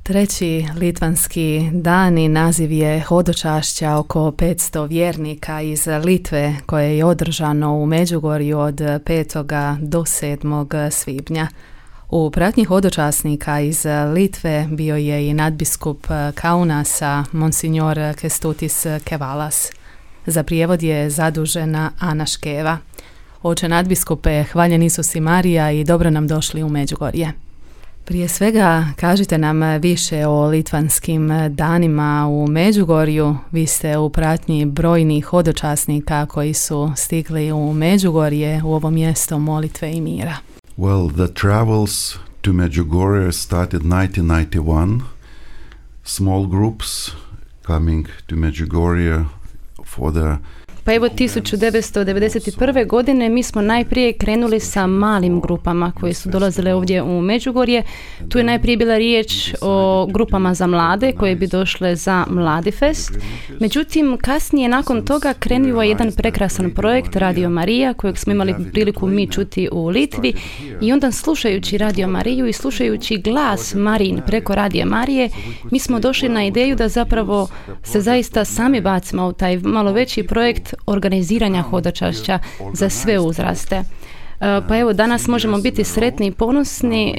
Treći litvanski dan i naziv je hodočašća oko 500 vjernika iz Litve koje je održano u Međugorju od 5. do 7. svibnja. U pratnji hodočasnika iz Litve bio je i nadbiskup Kaunasa, monsignor Kestutis Kevalas. Za prijevod je zadužena Ana Škeva. Oče nadbiskupe, hvaljen Isus i Marija i dobro nam došli u Međugorje. Prije svega, kažite nam više o litvanskim danima u Međugorju. Vi ste u pratnji brojnih hodočasnika koji su stigli u Međugorje, u ovo mjesto molitve i mira. Well, the travels to Medjugorje started 1991. Small groups coming to Medjugorje for the... Pa evo 1991. godine mi smo najprije krenuli sa malim grupama koje su dolazile ovdje u Međugorje. Tu je najprije bila riječ o grupama za mlade koje bi došle za Mladifest. Međutim, kasnije nakon toga krenuo je jedan prekrasan projekt Radio Marija kojeg smo imali priliku mi čuti u Litvi i onda slušajući Radio Mariju i slušajući glas Marijin preko Radio Marije, mi smo došli na ideju da zapravo se zaista sami bacimo u taj malo veći projekt organiziranja hodočašća za sve uzraste. Pa evo, danas možemo biti sretni i ponosni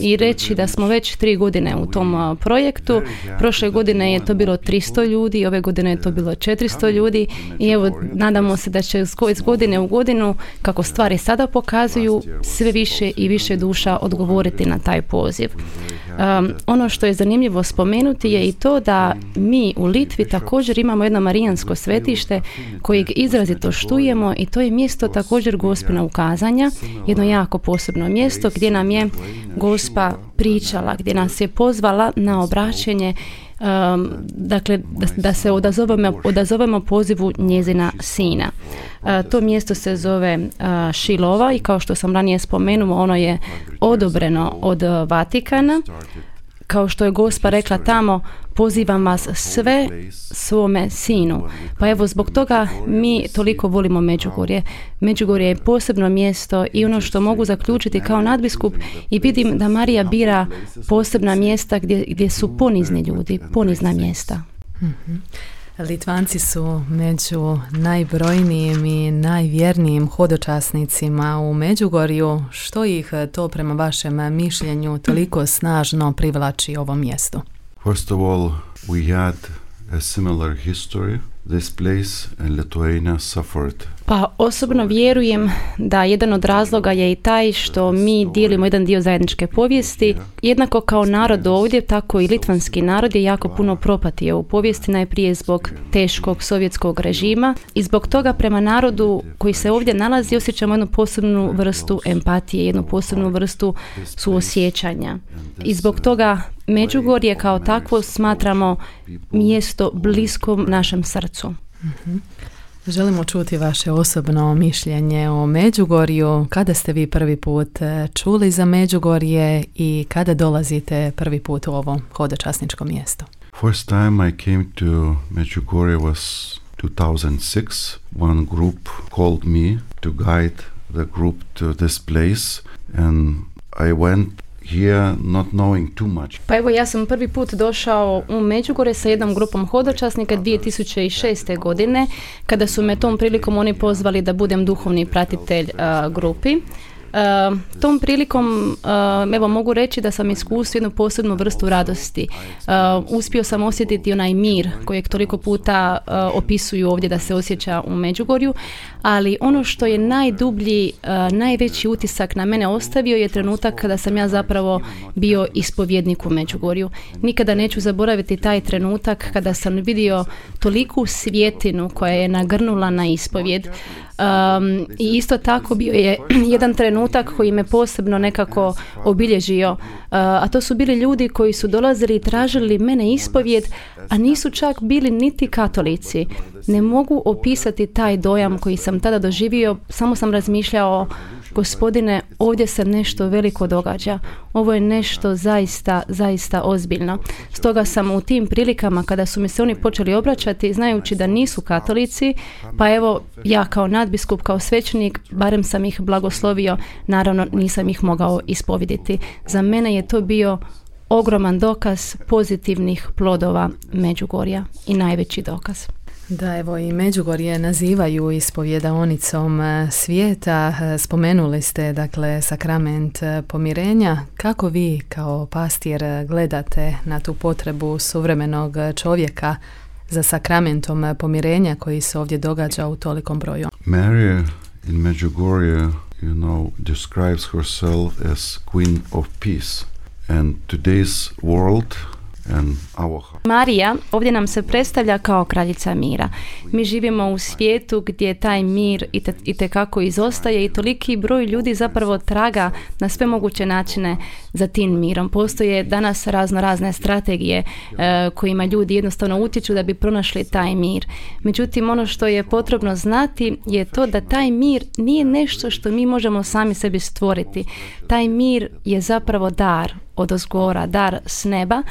i reći da smo već 3 godine u tom projektu. Prošle godine je to bilo 300 ljudi, ove godine je to bilo 400 ljudi i evo, nadamo se da će iz godine u godinu, kako stvari sada pokazuju, sve više i više duša odgovoriti na taj poziv. Ono što je zanimljivo spomenuti je i to da mi u Litvi također imamo jedno marijansko svetište kojeg izrazito štujemo i to je mjesto također Gospina ukazanja, jedno jako posebno mjesto gdje nam je Gospa pričala, gdje nas je pozvala na obraćenje, dakle da se odazovemo pozivu njezina sina. To mjesto se zove Šilova i kao što sam ranije spomenuo, ono je odobreno od Vatikana. Kao što je Gospa rekla tamo, pozivam vas sve svome sinu. Pa evo, zbog toga mi toliko volimo Međugorje. Međugorje je posebno mjesto i ono što mogu zaključiti kao nadbiskup i vidim da Marija bira posebna mjesta gdje su ponizni ljudi, ponizna mjesta. Mm-hmm. Litvanci su među najbrojnijim i najvjernijim hodočasnicima u Međugorju. Što ih to prema vašem mišljenju toliko snažno privlači ovom mjestu? First of all, we had a similar history. This place in Lithuania suffered. Pa osobno vjerujem da jedan od razloga je i taj što mi dijelimo jedan dio zajedničke povijesti. Jednako kao narod ovdje, tako i litvanski narod je jako puno propatio u povijesti, najprije zbog teškog sovjetskog režima i zbog toga prema narodu koji se ovdje nalazi osjećamo jednu posebnu vrstu empatije, jednu posebnu vrstu suosjećanja. I zbog toga Međugorje kao takvo smatramo mjesto bliskom našem srcu. Mm-hmm. Želimo čuti vaše osobno mišljenje o Međugorju. Kada ste vi prvi put čuli za Međugorje i kada dolazite prvi put u ovo hodočasničko mjesto? First time I came to Medjugorje was 2006. One group called me to guide the group to this place and I went here not knowing too much. Pa evo, ja sam prvi put došao u Međugorje sa jednom grupom hodočasnika 2006. godine, kada su me tom prilikom oni pozvali da budem duhovni pratitelj grupi. Tom prilikom evo mogu reći da sam iskusio jednu posebnu vrstu radosti. Uspio sam osjetiti onaj mir kojeg toliko puta opisuju ovdje da se osjeća u Međugorju, ali ono što je najdublji, najveći utisak na mene ostavio je trenutak kada sam ja zapravo bio ispovjednik u Međugorju. Nikada neću zaboraviti taj trenutak kada sam vidio toliku svjetinu koja je nagrnula na ispovjed. I isto tako bio je jedan trenutak koji me posebno nekako obilježio, a to su bili ljudi koji su dolazili i tražili mene ispovjed, a nisu čak bili niti katolici. Ne mogu opisati taj dojam koji sam tada doživio, samo sam razmišljao, Gospodine, ovdje se nešto veliko događa. Ovo je nešto zaista, zaista ozbiljno. Stoga sam u tim prilikama kada su mi se oni počeli obraćati, znajući da nisu katolici, pa evo ja kao nadbiskup, kao svećenik, barem sam ih blagoslovio, naravno nisam ih mogao ispovediti. Za mene je to bio ogroman dokaz pozitivnih plodova Međugorja i najveći dokaz. Da, evo i Međugorje nazivaju ispovjedaonicom svijeta. Spomenuli ste, dakle, sakrament pomirenja. Kako vi kao pastir gledate na tu potrebu suvremenog čovjeka za sakramentom pomirenja koji se ovdje događa u tolikom broju? Mary in Medjugorje, describes herself as Queen of Peace. And today's world and our... Marija ovdje nam se predstavlja kao kraljica mira. Mi živimo u svijetu gdje taj mir itekako izostaje i toliki broj ljudi zapravo traga na sve moguće načine za tim mirom. Postoje danas razne strategije kojima ljudi jednostavno utječu da bi pronašli taj mir. Međutim, ono što je potrebno znati je to da taj mir nije nešto što mi možemo sami sebi stvoriti. Taj mir je zapravo dar odozgora, dar s neba,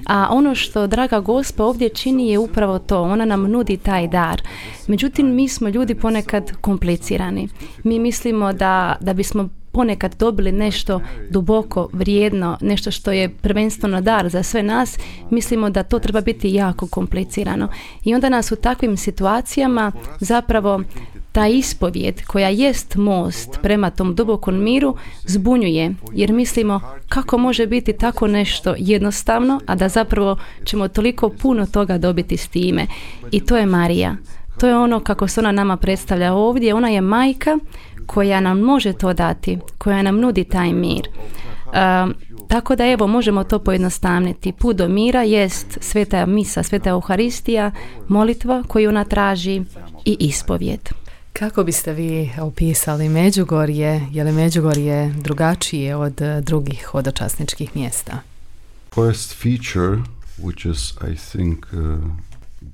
a ono što draga Gospa ovdje čini je upravo to. Ona nam nudi taj dar. Međutim, mi smo ljudi ponekad komplicirani. Mi mislimo da bismo ponekad dobili nešto duboko vrijedno, nešto što je prvenstveno dar za sve nas, mislimo da to treba biti jako komplicirano. I onda nas u takvim situacijama zapravo ta ispovijed koja jest most prema tom dubokom miru zbunjuje, jer mislimo kako može biti tako nešto jednostavno, a da zapravo ćemo toliko puno toga dobiti s time. I to je Marija. To je ono kako se ona nama predstavlja ovdje. Ona je majka koja nam može to dati, koja nam nudi taj mir. Tako da evo možemo to pojednostavniti. Put do mira jest sveta misa, sveta Euharistija, molitva koju ona traži i ispovijed. Kako biste vi opisali Međugorje? Je li Međugorje drugačije od drugih hodočasničkih mjesta? First feature, which is, I think,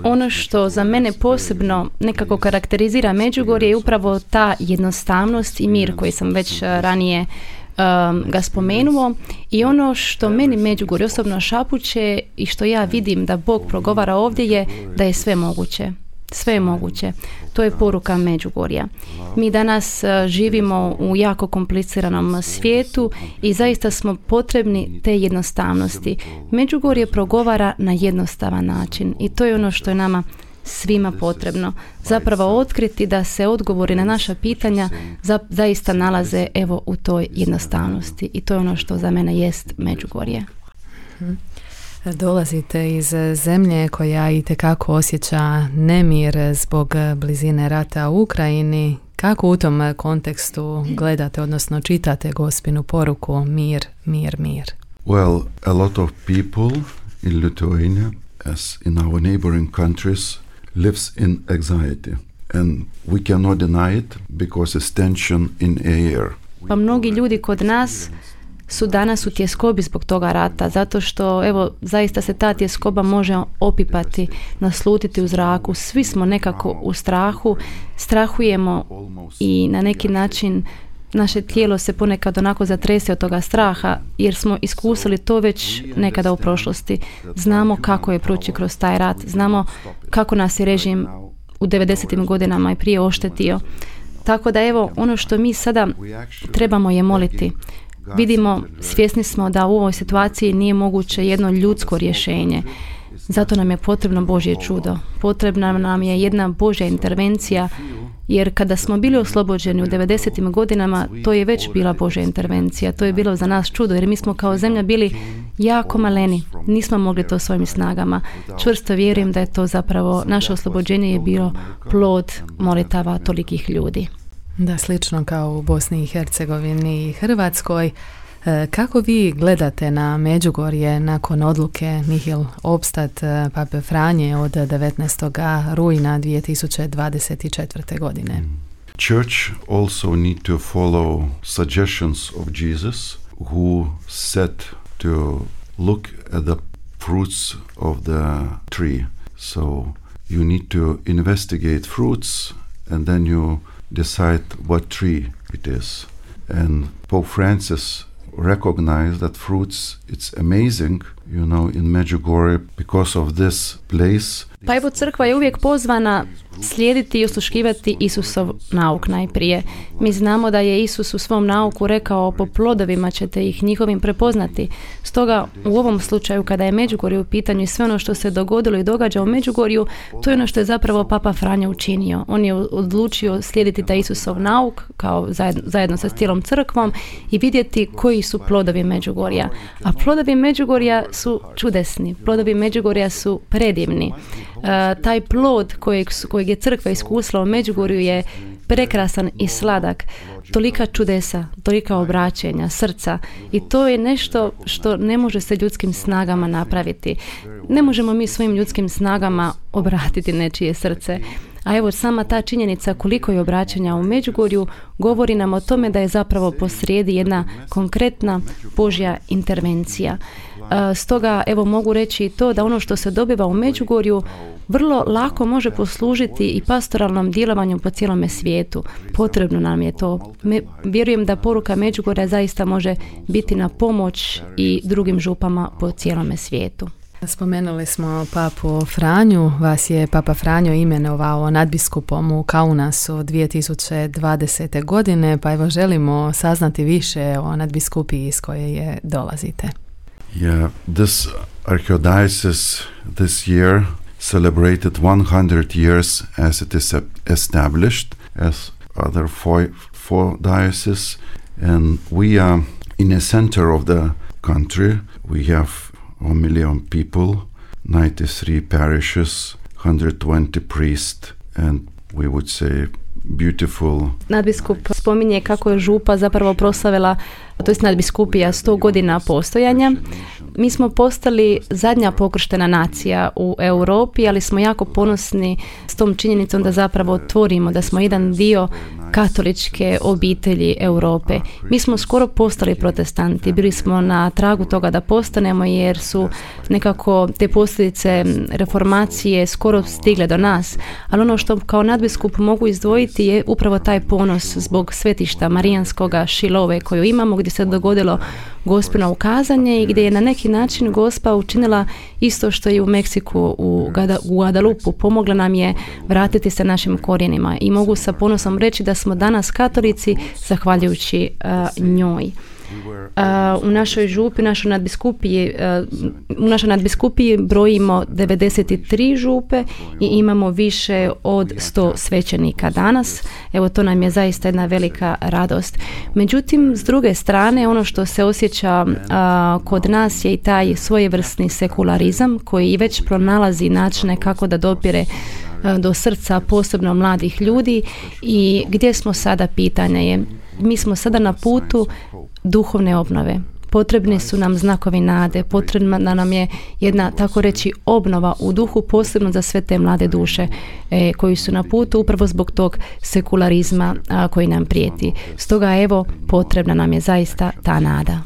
ono što za mene posebno nekako karakterizira Međugorje je upravo ta jednostavnost i mir koji sam već ranije ga spomenuo, i ono što meni Međugorje osobno šapuće i što ja vidim da Bog progovara ovdje je da je sve moguće. Sve je moguće. To je poruka Međugorja. Mi danas živimo u jako kompliciranom svijetu i zaista smo potrebni te jednostavnosti. Međugorje progovara na jednostavan način i to je ono što je nama svima potrebno. Zapravo otkriti da se odgovori na naša pitanja zaista nalaze evo u toj jednostavnosti i to je ono što za mene jest Međugorje. Dolazite iz zemlje koja itekako osjeća nemir zbog blizine rata u Ukrajini. Kako u tom kontekstu gledate, odnosno čitate Gospinu poruku mir, mir, mir? Well, a lot of people in Lithuania, as in our neighboring countries, lives in anxiety. And we cannot deny it because it's tension in air. Pa mnogi ljudi kod nas su danas u tjeskobi zbog toga rata, zato što evo zaista se ta tjeskoba može opipati, naslutiti u zraku. Svi smo nekako u strahu, strahujemo i na neki način naše tijelo se ponekad onako zatrese od toga straha jer smo iskusili to već nekada u prošlosti. Znamo kako je proći kroz taj rat, znamo kako nas je režim u 90. godinama i prije oštetio. Tako da evo ono što mi sada trebamo je moliti. Vidimo, svjesni smo da u ovoj situaciji nije moguće jedno ljudsko rješenje. Zato nam je potrebno Božje čudo. Potrebna nam je jedna Božja intervencija, jer kada smo bili oslobođeni u 90. godinama, to je već bila Božja intervencija. To je bilo za nas čudo, jer mi smo kao zemlja bili jako maleni. Nismo mogli to svojim snagama. Čvrsto vjerujem da je to zapravo, naše oslobođenje je bilo plod molitava tolikih ljudi. Da, slično kao u Bosni i Hercegovini i Hrvatskoj. Kako vi gledate na Međugorje nakon odluke Nihil Obstat Pape Franje od 19. rujna 2024. godine? Church also need to follow suggestions of Jesus, who said to look at the fruits of the tree. So you need to investigate fruits and then you decide what tree it is. And Pope Francis recognized that fruits, it's amazing in Medjugorje, because of this place. Pa evo, crkva je uvijek pozvana slijediti i osluškivati Isusov nauk najprije. Mi znamo da je Isus u svom nauku rekao: po plodovima ćete ih njihovim prepoznati. Stoga u ovom slučaju, kada je Međugorje u pitanju i sve ono što se dogodilo i događa u Međugorju, to je ono što je zapravo Papa Franjo učinio. On je odlučio slijediti taj Isusov nauk kao zajedno sa cijelom crkvom i vidjeti koji su plodovi Međugorja. A plodovi Međugorja su čudesni. Plodovi Međugorja su predivni. Taj plod kojeg je crkva iskusila u Međugorju je prekrasan i sladak. Tolika čudesa, tolika obraćenja, srca, i to je nešto što ne može se ljudskim snagama napraviti. Ne možemo mi svojim ljudskim snagama obratiti nečije srce. A evo, sama ta činjenica koliko je obraćanja u Međugorju govori nam o tome da je zapravo posrijedi jedna konkretna Božja intervencija. Stoga evo mogu reći i to da ono što se dobiva u Međugorju vrlo lako može poslužiti i pastoralnom djelovanju po cijelome svijetu. Potrebno nam je to. Vjerujem da poruka Međugorja zaista može biti na pomoć i drugim župama po cijelome svijetu. Spomenuli smo papu Franju. Vas je Papa Franjo imenovao nadbiskupom u Kaunasu 2020. godine, pa evo želimo saznati više o nadbiskupiji iz koje je dolazite. Yeah, this archdiocese this year celebrated 100 years as it is established, as other four dioceses, and we are in the center of the country. We have 1 million people, 93 parishes, 120 priests, and we would say beautiful. Nadbiskup spominje kako je župa zapravo proslavila, to jest nadbiskupija, 100 godina postojanja. Mi smo postali zadnja pokrštena nacija u Europi, ali smo jako ponosni s tom činjenicom da zapravo tvorimo, da smo jedan dio katoličke obitelji Europe. Mi smo skoro postali protestanti, bili smo na tragu toga da postanemo, jer su nekako te posljedice reformacije skoro stigle do nas, ali ono što kao nadbiskup mogu izdvojiti je upravo taj ponos zbog svetišta Marijanskoga Šilove koju imamo, gdje se dogodilo Gospino ukazanje i gdje je na neki način Gospa učinila isto što i u Meksiku, u Guadalupu. Pomogla nam je vratiti se našim korijenima i mogu sa ponosom reći da smo danas katolici zahvaljujući njoj. U našoj župi, u našoj nadbiskupiji brojimo 93 župe i imamo više od 100 svećenika danas. Evo, to nam je zaista jedna velika radost. Međutim, s druge strane, ono što se osjeća kod nas je i taj svojevrsni sekularizam koji i već pronalazi načine kako da dopire do srca posebno mladih ljudi. I gdje smo sada, pitanje je. Mi smo sada na putu duhovne obnove. Potrebni su nam znakovi nade, potrebna nam je jedna, tako reći, obnova u duhu, posebno za sve te mlade duše koji su na putu upravo zbog tog sekularizma koji nam prijeti. Stoga evo, potrebna nam je zaista ta nada.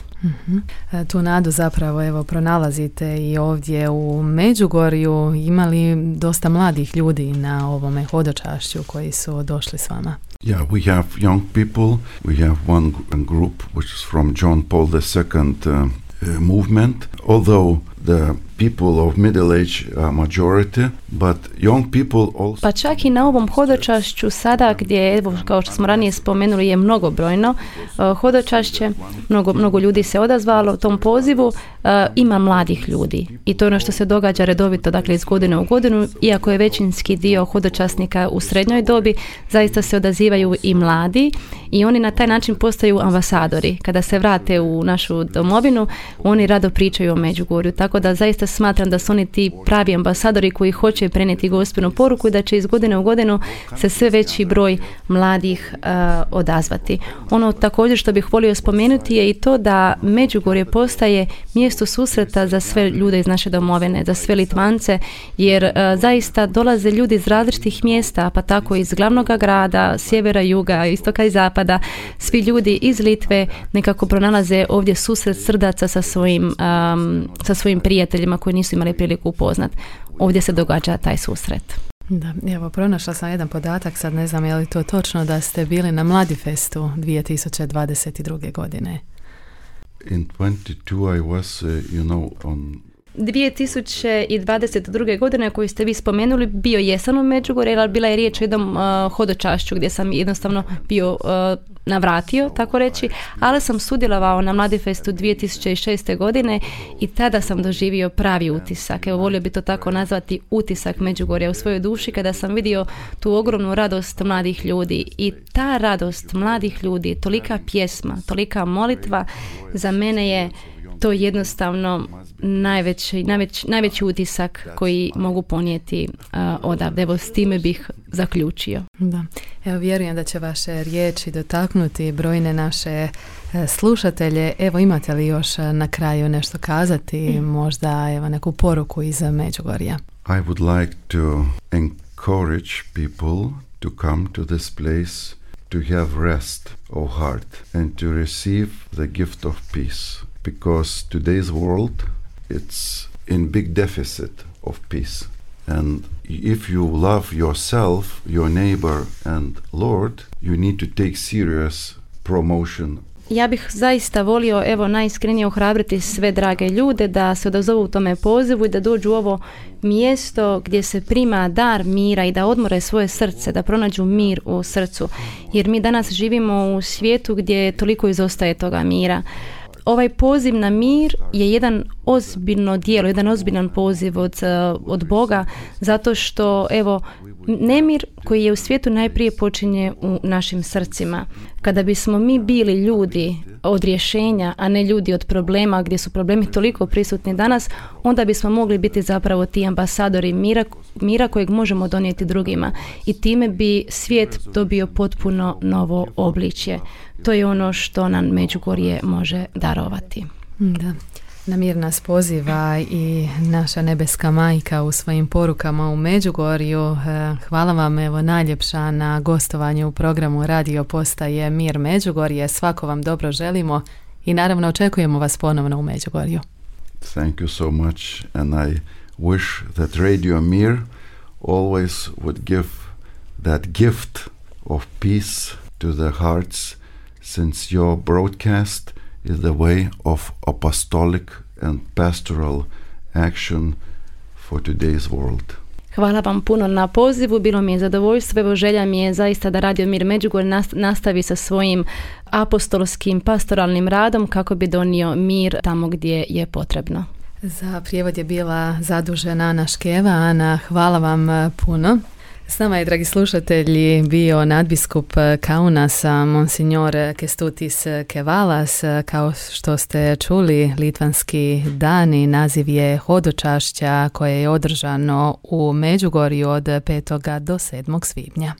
Tu nadu zapravo evo pronalazite i ovdje u Međugorju. Imali dosta mladih ljudi na ovome hodočašću koji su došli s vama? Yeah, we have young people. We have one group which is from John Paul II movement. Although the people of middle age are majority, but young people also... Pa čak i na ovom hodočašću sada, gdje, evo, kao što smo ranije spomenuli, je mnogobrojno hodočašće, mnogo ljudi se odazvalo tom pozivu, ima mladih ljudi. I to je ono što se događa redovito, dakle iz godine u godinu, iako je većinski dio hodočasnika u srednjoj dobi, zaista se odazivaju i mladi i oni na taj način postaju ambasadori. Kada se vrate u našu domovinu, oni rado pričaju o Međugorju, tako da zaista smatram da su oni ti pravi ambasadori koji hoće prenijeti Gospinu poruku i da će iz godine u godinu se sve veći broj mladih odazvati. Ono također što bih volio spomenuti je i to da Međugorje postaje mjesto susreta za sve ljude iz naše domovine, za sve Litvance, jer zaista dolaze ljudi iz različitih mjesta, pa tako iz glavnog grada, sjevera, juga, istoka i zapada. Svi ljudi iz Litve nekako pronalaze ovdje susret srdaca sa svojim prijateljima koji nisu imali priliku upoznat. Ovdje se događa taj susret. Da, evo, pronašla sam jedan podatak, sad ne znam je li to točno, da ste bili na Mladifestu 2022. godine. In 22 I was, on 2022. godine koju ste vi spomenuli bio jesam u Međugorju, ali bila je riječ o jednom hodočašću gdje sam jednostavno bio navratio, tako reći, ali sam sudjelovao na Mladifestu 2006. godine i tada sam doživio pravi utisak. Evo, volio bi to tako nazvati utisak Međugorja u svojoj duši kada sam vidio tu ogromnu radost mladih ljudi i ta radost mladih ljudi, tolika pjesma, tolika molitva, za mene je to jednostavno najveći utisak koji mogu ponijeti odavde. Evo, s time bih zaključio. Da. Evo, vjerujem da će vaše riječi dotaknuti brojne naše slušatelje. Evo, imate li još na kraju nešto kazati, možda evo neku poruku iz Međugorja? I would like to encourage people to come to this place to have rest of heart and to receive the gift of peace. Because today's world, it's in big deficit of peace. And if you love yourself, your neighbor and Lord, you need to take serious promotion. Ja bih zaista volio, evo, najiskrenije ohrabriti sve drage ljude da se odazovu u tome pozivu i da dođu u ovo mjesto gdje se prima dar mira i da odmore svoje srce, da pronađu mir u srcu. Jer mi danas živimo u svijetu gdje toliko izostaje toga mira. Ovaj poziv na mir je jedan ozbiljno djelo, jedan ozbiljan poziv od Boga, zato što, evo, nemir koji je u svijetu najprije počinje u našim srcima. Kada bismo mi bili ljudi od rješenja, a ne ljudi od problema, gdje su problemi toliko prisutni danas, onda bismo mogli biti zapravo ti ambasadori mira kojeg možemo donijeti drugima. I time bi svijet dobio potpuno novo obličje. To je ono što nam Međugorje može darovati. Da. Na mir nas poziva i naša nebeska majka u svojim porukama u Međugorju. Hvala vam, evo, najljepša na gostovanju u programu Radio Postaje Mir Međugorje. Svako vam dobro želimo i naravno očekujemo vas ponovno u Međugorju. Thank you so much, and I wish that Radio Mir always would give that gift of peace to the hearts, since your broadcast is the way of apostolic and pastoral action for today's world. Hvala vam puno na pozivu, bilo mi je zadovoljstvo, evo, želja mi je zaista da Radio Mir Međugorje nastavi sa svojim apostolskim pastoralnim radom kako bi donio mir tamo gdje je potrebno. Za prijevod je bila zadužena Ana Škeva. Ana, hvala vam puno. S nama je, dragi slušatelji, bio nadbiskup Kaunasa, monsignor Kestutis Kevalas. Kao što ste čuli, litvanski dani, naziv je hodočašća koje je održano u Međugorju od 5. do 7. svibnja.